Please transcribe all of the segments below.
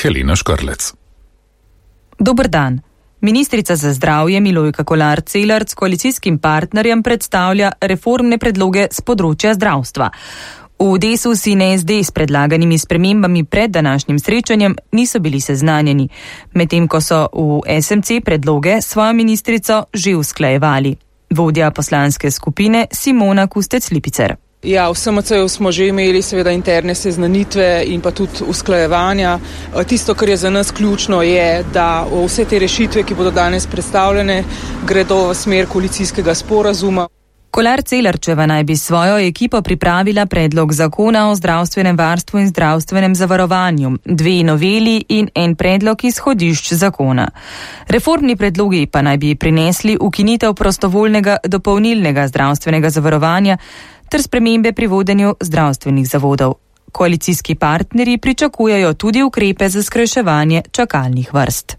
Helena Škrlec. Dober dan. Ministrica za zdravje Milojka Kolar Celarc koalicijskim partnerjem predstavlja reformne predloge z področja zdravstva. V Desus in SD s predlaganimi spremembami pred današnjim srečanjem niso bili seznanjeni, medtem ko so v SMC predloge svojo ministrico že usklajevali. Vodja poslanske skupine Simona Kustec-Lipicer. Ja, v SMC-ju smo že imeli seveda interne seznanitve in pa tudi usklajevanja. Tisto, kar je za nas ključno, je, da vse te rešitve, ki bodo danes predstavljene, gredo v smer koalicijskega sporazuma. Kolar Celarčeva naj bi svojo ekipo pripravila predlog zakona o zdravstvenem varstvu in zdravstvenem zavarovanju, 2 noveli in en predlog izhodišč zakona. Reformni predlogi pa naj bi prinesli ukinitev prostovoljnega dopolnilnega zdravstvenega zavarovanja ter spremembe pri vodenju zdravstvenih zavodov. Koalicijski partnerji pričakujejo tudi ukrepe za skrajševanje čakalnih vrst.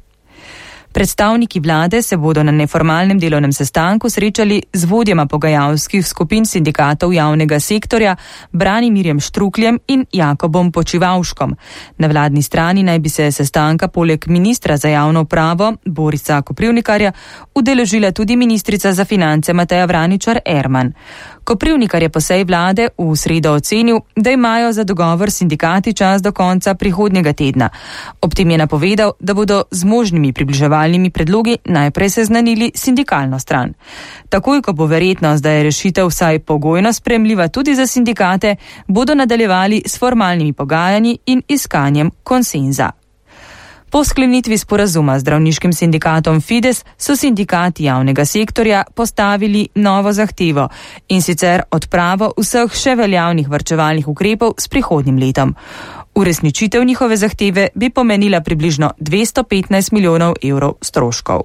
Predstavniki vlade se bodo na neformalnem delovnem sestanku srečali z vodjama pogajalskih skupin sindikatov javnega sektorja Branimirjem Štrukljem in Jakobom Počivavškom. Na vladni strani naj bi se sestanka poleg ministra za javno upravo Borisa Koprivnikarja udeležila tudi ministrica za finance Mateja Vraničar-Erman. Koprivnikar je po seji vlade v sredo ocenil, da imajo za dogovor sindikati čas do konca prihodnjega tedna. Ob tem je napovedal, da bodo z možnimi približevalnimi predlogi najprej seznanili sindikalno stran. Takoj, ko bo verjetnost, da je rešitev vsaj pogojno sprejemljiva tudi za sindikate, bodo nadaljevali s formalnimi pogajanji in iskanjem konsenza. Po sklenitvi sporazuma z zdravniškim sindikatom Fides so sindikati javnega sektorja postavili novo zahtevo, in sicer odpravo vseh še veljavnih varčevalnih ukrepov s prihodnjim letom. Uresničitev njihove zahteve bi pomenila približno 215 milijonov evrov stroškov.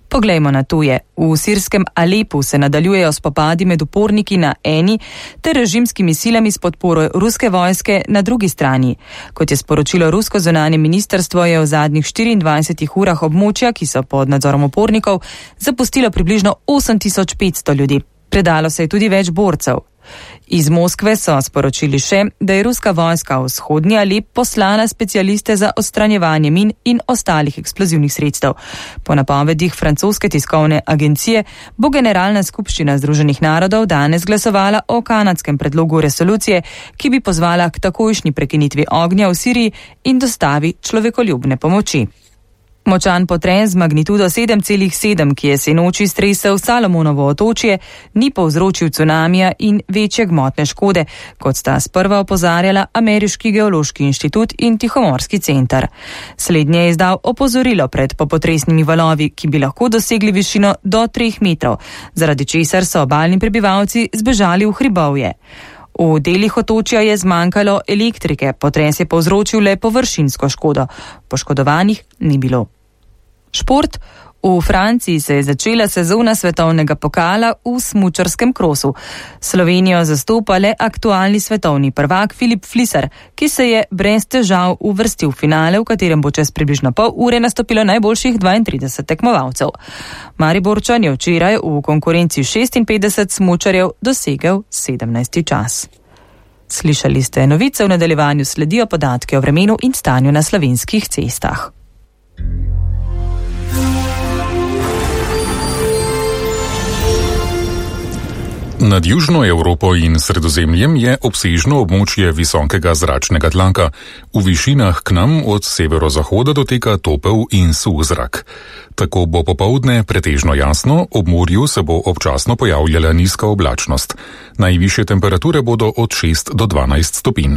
Poglejmo na tuje. V sirskem Alepu se nadaljujejo spopadi med uporniki na eni ter režimskimi silami s podporo ruske vojske na drugi strani. Kot je sporočilo rusko zunanje ministrstvo, je v zadnjih 24 urah območja, ki so pod nadzorom upornikov, zapustilo približno 8500 ljudi. Predalo se je tudi več borcev. Iz Moskve so sporočili še, da je ruska vojska v vzhodni Alep poslala specialiste za odstranjevanje min in ostalih eksplozivnih sredstev. Po napovedih francoske tiskovne agencije bo Generalna skupščina Združenih narodov danes glasovala o kanadskem predlogu resolucije, ki bi pozvala k takojšnji prekinitvi ognja v Siriji in dostavi človekoljubne pomoči. Močan potres z magnitudo 7,7, ki je sinoči stresel Salomonovo otočje, ni povzročil cunamija in večje gmotne škode, kot sta sprva opozarjala Ameriški geološki inštitut in Tihomorski center. Slednje je izdal opozorilo pred popotresnimi valovi, ki bi lahko dosegli višino do 3 metrov, zaradi česar so obalni prebivalci zbežali v hribovje. V delih otočja je zmanjkalo elektrike, potres je povzročil le površinsko škodo. Poškodovanih ni bilo. Šport. V Franciji se je začela sezona svetovnega pokala v smučarskem krosu. Slovenijo zastopa le aktualni svetovni prvak Filip Fliser, ki se je brez težav uvrstil v finale, v katerem bo čez približno pol ure nastopilo najboljših 32 tekmovalcev. Mariborčan je včeraj v konkurenci 56 smučarjev dosegel 17. čas. Slišali ste novice, v nadaljevanju sledijo podatki o vremenu in stanju na slovenskih cestah. Nad Južno Evropo in Sredozemljem je obsežno območje visokega zračnega tlaka. V višinah k nam od severozahoda doteka topel in suh zrak. Tako bo popoldne pretežno jasno, ob morju se bo občasno pojavljala nizka oblačnost. Najvišje temperature bodo od 6 do 12 stopinj.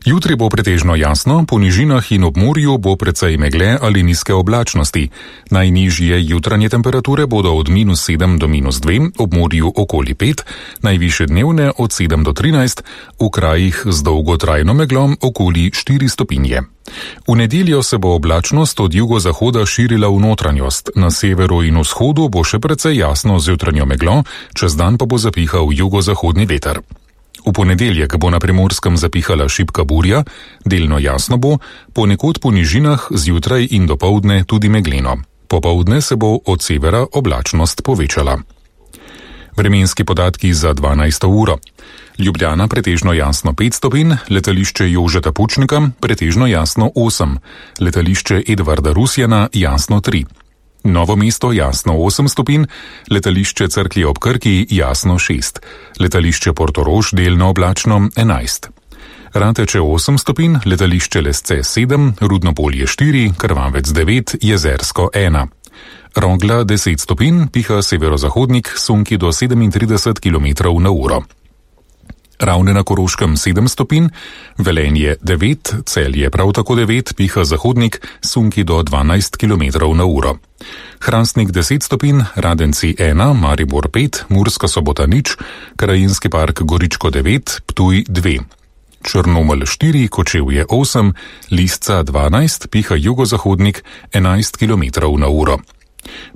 Jutri bo pretežno jasno, po nižinah in ob morju bo precej megle ali nizke oblačnosti. Najnižje jutranje temperature bodo od -7 do -2, ob morju okoli 5, najvišje dnevne od 7 do 13, v krajih z dolgotrajno meglom okoli 4 stopinje. V nedeljo se bo oblačnost od jugozahoda širila v notranjost, na severu in vzhodu bo še precej jasno z jutranjo meglo, čez dan pa bo zapihal jugozahodni veter. V ponedeljek bo na Primorskem zapihala šibka burja, delno jasno bo, ponekod po nižinah zjutraj in dopoldne tudi megleno. Popoldne se bo od severa oblačnost povečala. Vremenski podatki za 12. uro. Ljubljana pretežno jasno 5 stopinj, letališče Jožeta Pučnika pretežno jasno 8, letališče Edvarda Rusjana jasno 3. Novo mesto jasno 8 stopinj, letališče Cerklje ob Krki jasno 6, letališče Portorož delno oblačno 11. Rateče 8 stopinj, letališče Lesce 7, Rudnopolje 4, Krvavec 9, Jezersko 1. Rogla 10 stopinj, piha severozahodnik, sunki do 37 km/h. Ravne na Koroškem 7 stopinj, Velenje 9, Celje prav tako 9, piha zahodnik, sunki do 12 km/h. Hrastnik 10 stopinj, Radenci 1, Maribor 5, Murska Sobota 0, Krajinski park Goričko 9, Ptuj 2. Črnomelj 4, Kočevje 8, Lisca 12, piha jugozahodnik 11 km/h.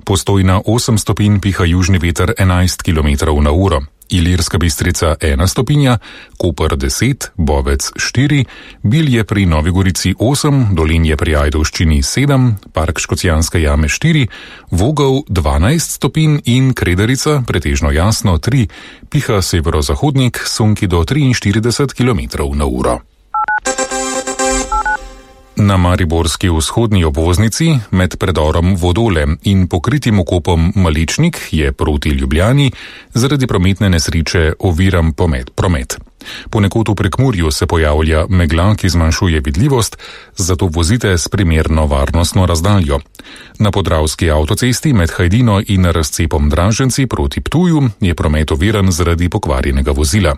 Postojna 8 stopinj, piha južni veter 11 km/h. Ilirska Bistrica 1 stopinja, Koper 10, Bovec 4, Bilje pri Novi Gorici 8, Dolinje pri Ajdovščini 7, Park Škocjanske jame 4, Vogel 12 stopinj in Kredarica pretežno jasno 3, piha severozahodnik, sunki do 43 km/h. Na mariborski vzhodni obvoznici med predorom Vodole in pokritim okopom Maličnik je proti Ljubljani zaradi prometne nesreče oviran promet. Ponekod v Prekmurju se pojavlja megla, ki zmanjšuje vidljivost, zato vozite s primerno varnostno razdaljo. Na podravski avtocesti med Hajdino in razcepom Draženci proti Ptuju je promet oviran zaradi pokvarjenega vozila.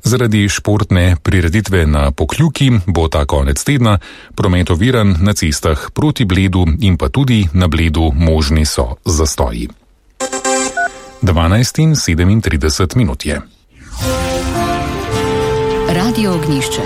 Zaradi športne prireditve na Pokljuki bo ta konec tedna promet oviran na cestah proti Bledu in pa tudi na Bledu možni so zastoji. 12:37 je. Radio Ognjišče.